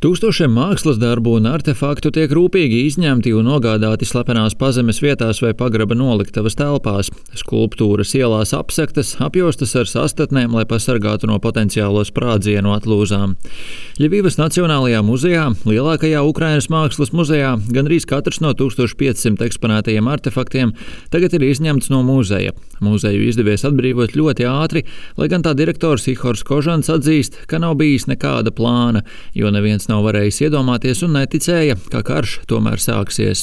Tūkstošiem mākslas darbu un artefaktu tiek rūpīgi izņemti un nogādāti slepenās pazemes vietās vai pagraba noliktavas telpās. Skulptūras ielās apsektas, apjostas ar sastatnēm, lai pasargātu no potenciālo sprādzienu atlūzām. Ļevivas Nacionālajā muzejā, lielākajā Ukrainas mākslas muzejā, gandrīz katrs no 1500 eksponētajiem artefaktiem tagad ir izņemts no muzeja. Muzeju izdevies atbrīvot ļoti ātri, lai gan tā direktors Ihors Kožans atzīst, ka nav bijis nekāda plāna, jo neviens nav varējis iedomāties un neticēja, ka karš tomēr sāksies.